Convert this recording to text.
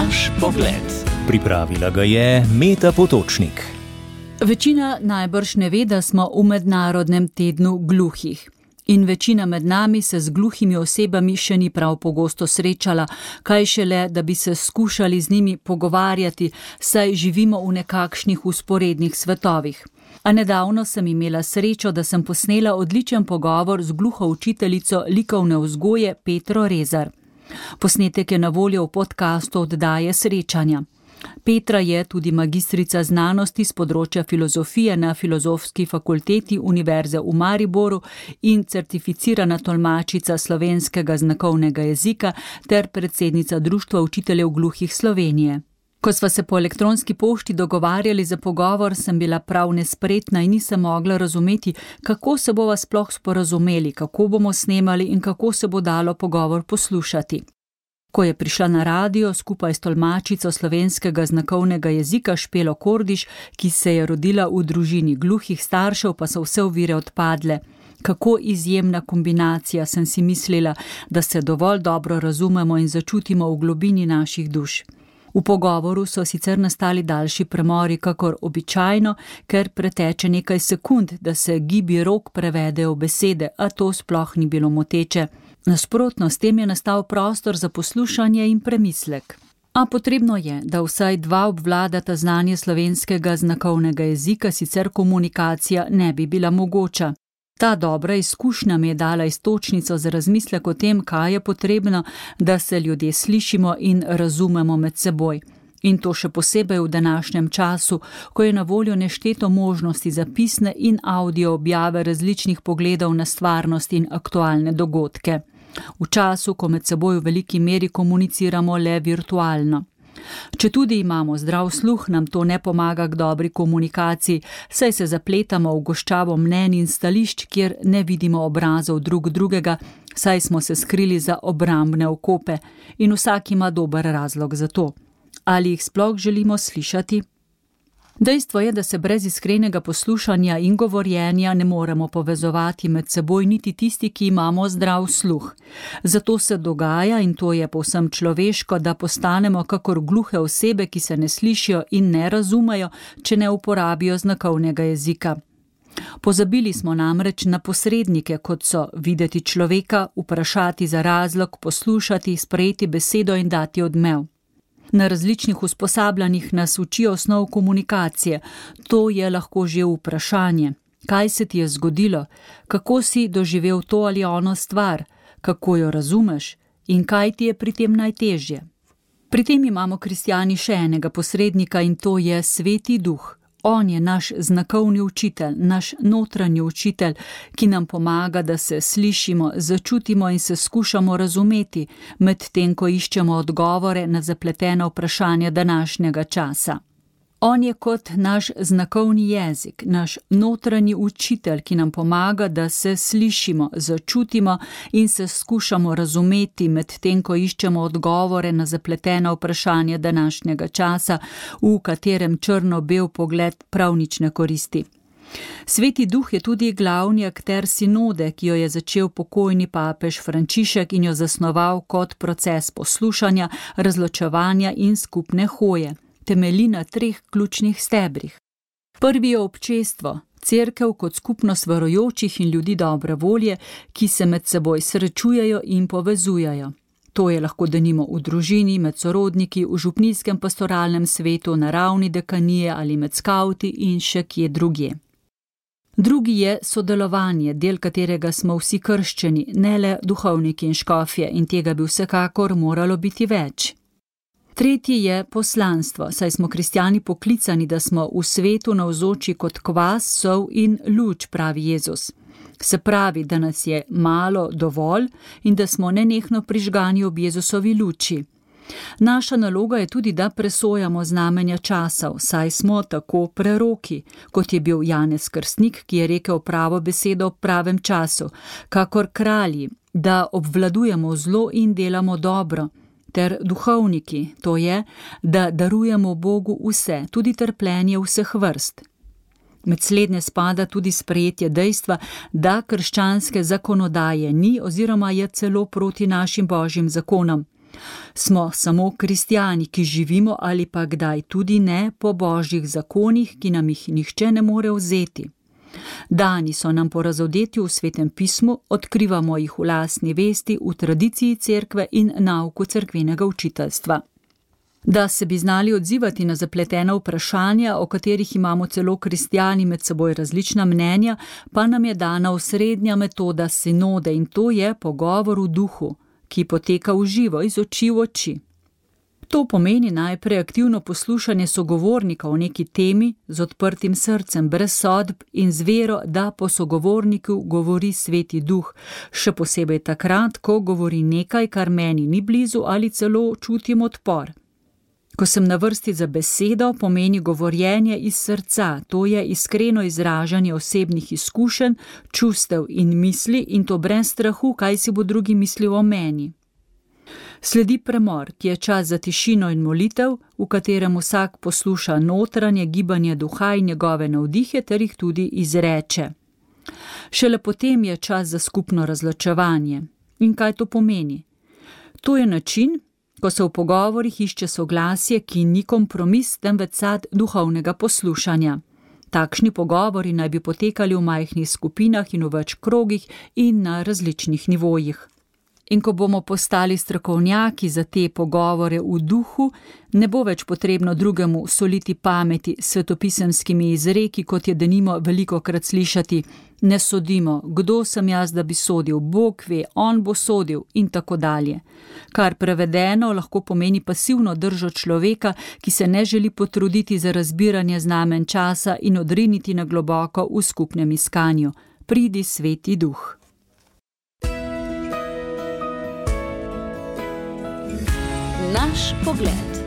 Naš pogled. Pripravila ga je Meta Potočnik. Večina najbrž ne ve, da smo v mednarodnem tednu gluhih. In večina med nami se z gluhimi osebami še ni prav pogosto srečala, kaj šele, da bi se skušali z njimi pogovarjati, saj živimo v nekakšnih vzporednih svetovih. A nedavno sem imela srečo, da sem posnela odličen pogovor z gluho učiteljico likovne vzgoje Petro Rezar. Posnetek je na voljo v podcastu oddaje Srečanja. Petra je tudi magistrica znanosti z področja filozofije na Filozofski fakulteti Univerze v Mariboru in certificirana tolmačica slovenskega znakovnega jezika ter predsednica Društva učiteljev gluhih Slovenije. Ko sva se po elektronski pošti dogovarjali za pogovor, sem bila prav nespretna in nisem mogla razumeti, kako se bova sploh sporazumeli, kako bomo snemali in kako se bo dalo pogovor poslušati. Ko je prišla na radio skupaj s tolmačico slovenskega znakovnega jezika Špelo Kordiš, ki se je rodila v družini gluhih staršev, pa so vse ovire odpadle. Kako izjemna kombinacija, sem si mislila, da se dovolj dobro razumemo in začutimo v globini naših duš. V pogovoru so sicer nastali daljši premori kakor običajno, ker preteče nekaj sekund, da se gibi rok prevedejo v besede, a to sploh ni bilo moteče. Nasprotno, s tem je nastal prostor za poslušanje in premislek. A potrebno je, da vsaj dva obvladata znanje slovenskega znakovnega jezika, sicer komunikacija ne bi bila mogoča. Ta dobra izkušnja mi je dala iztočnico za razmislek o tem, kaj je potrebno, da se ljudje slišimo in razumemo med seboj. In to še posebej v današnjem času, ko je na voljo nešteto možnosti za pisne in audio objave različnih pogledov na stvarnost in aktualne dogodke. V času, ko med seboj v veliki meri komuniciramo le virtualno. Četudi imamo zdrav sluh, nam to ne pomaga k dobri komunikaciji, saj se zapletamo v goščavo mnenj in stališč, kjer ne vidimo obrazov drug drugega, saj smo se skrili za obrambne okope in vsak ima dober razlog za to. Ali jih sploh želimo slišati? Dejstvo je, da se brez iskrenega poslušanja in govorjenja ne moremo povezovati med seboj niti tisti, ki imamo zdrav sluh. Zato se dogaja, in to je povsem človeško, da postanemo kakor gluhe osebe, ki se ne slišijo in ne razumejo, če ne uporabijo znakovnega jezika. Pozabili smo namreč na posrednike, kot so videti človeka, vprašati za razlog, poslušati, sprejeti besedo in dati odmev. Na različnih usposabljanjih nas učijo osnov komunikacije. To je lahko že vprašanje. Kaj se ti je zgodilo? Kako si doživel to ali ono stvar? Kako jo razumeš? In kaj ti je pri tem najtežje? Pri tem imamo kristjani še enega posrednika in to je Sveti Duh. On je naš znakovni učitelj, naš notranji učitelj, ki nam pomaga, da se slišimo, začutimo in se skušamo razumeti, medtem ko iščemo odgovore na zapletena vprašanja današnjega časa. On je kot naš znakovni jezik, naš notranji učitelj, ki nam pomaga, da se slišimo, začutimo in se skušamo razumeti, medtem ko iščemo odgovore na zapletena vprašanja današnjega časa, v katerem črno-bel pogled prav nič ne koristi. Sveti Duh je tudi glavni akter sinode, ki jo je začel pokojni papež Frančišek in jo zasnoval kot proces poslušanja, razločevanja in skupne hoje. Temelji na 3 ključnih stebrih. Prvi je občestvo, cerkev kot skupnost verujočih in ljudi dobre volje, ki se med seboj srečujejo in povezujejo. To je lahko denimo v družini, med sorodniki, v župnijskem pastoralnem svetu, na ravni dekanije ali med skavti in še kje drugje. Drugi je sodelovanje, del katerega smo vsi krščeni, ne le duhovniki in škofje, in tega bi vsekakor moralo biti več. Tretji je poslanstvo, saj smo kristjani poklicani, da smo v svetu navzoči kot kvas, sol in luč, pravi Jezus. Se pravi, da nas je malo dovolj in da smo nenehno prižgani ob Jezusovi luči. Naša naloga je tudi, da presojamo znamenja časov, saj smo tako preroki, kot je bil Janez Krstnik, ki je rekel pravo besedo v pravem času, kakor kralji, da obvladujemo zlo in delamo dobro, ter duhovniki, to je, da darujemo Bogu vse, tudi trpljenje vseh vrst. Med slednje spada tudi sprejetje dejstva, da krščanske zakonodaje ni oziroma je celo proti našim božjim zakonom. Smo samo kristjani, ki živimo ali pa kdaj tudi ne po božjih zakonih, ki nam jih nihče ne more vzeti. Dani so nam po razodetju v Svetem pismu, odkrivamo jih v lastni vesti, v tradiciji cerkve in nauku cerkvenega učiteljstva. Da se bi znali odzivati na zapletena vprašanja, o katerih imamo celo kristjani med seboj različna mnenja, pa nam je dana osrednja metoda sinode in to je pogovor v duhu, ki poteka v živo, iz oči v oči. To pomeni najprej aktivno poslušanje sogovornika o neki temi z odprtim srcem, brez sodb in z vero, da po sogovorniku govori Sveti Duh, še posebej takrat, ko govori nekaj, kar meni ni blizu ali celo čutim odpor. Ko sem na vrsti za besedo, pomeni govorjenje iz srca, to je iskreno izražanje osebnih izkušenj, čustev in misli in to brez strahu, kaj si bo drugi mislil o meni. Sledi premor, ki je čas za tišino in molitev, v katerem vsak posluša notranje gibanje duha in njegove navdihe ter jih tudi izreče. Šele potem je čas za skupno razločevanje. In kaj to pomeni? To je način, ko se v pogovorih išče soglasje, ki ni kompromis, temveč sad duhovnega poslušanja. Takšni pogovori naj bi potekali v majhnih skupinah in v več krogih in na različnih nivojih. In ko bomo postali strokovnjaki za te pogovore v duhu, ne bo več potrebno drugemu soliti pameti s svetopisemskimi izreki, kot je denimo velikokrat slišati: ne sodimo, kdo sem jaz, da bi sodil, Bog ve, on bo sodil in tako dalje. Kar prevedeno lahko pomeni pasivno držo človeka, ki se ne želi potruditi za razbiranje znamen časa in odriniti na globoko v skupnem iskanju. Pridi, Sveti Duh. Naš pogled.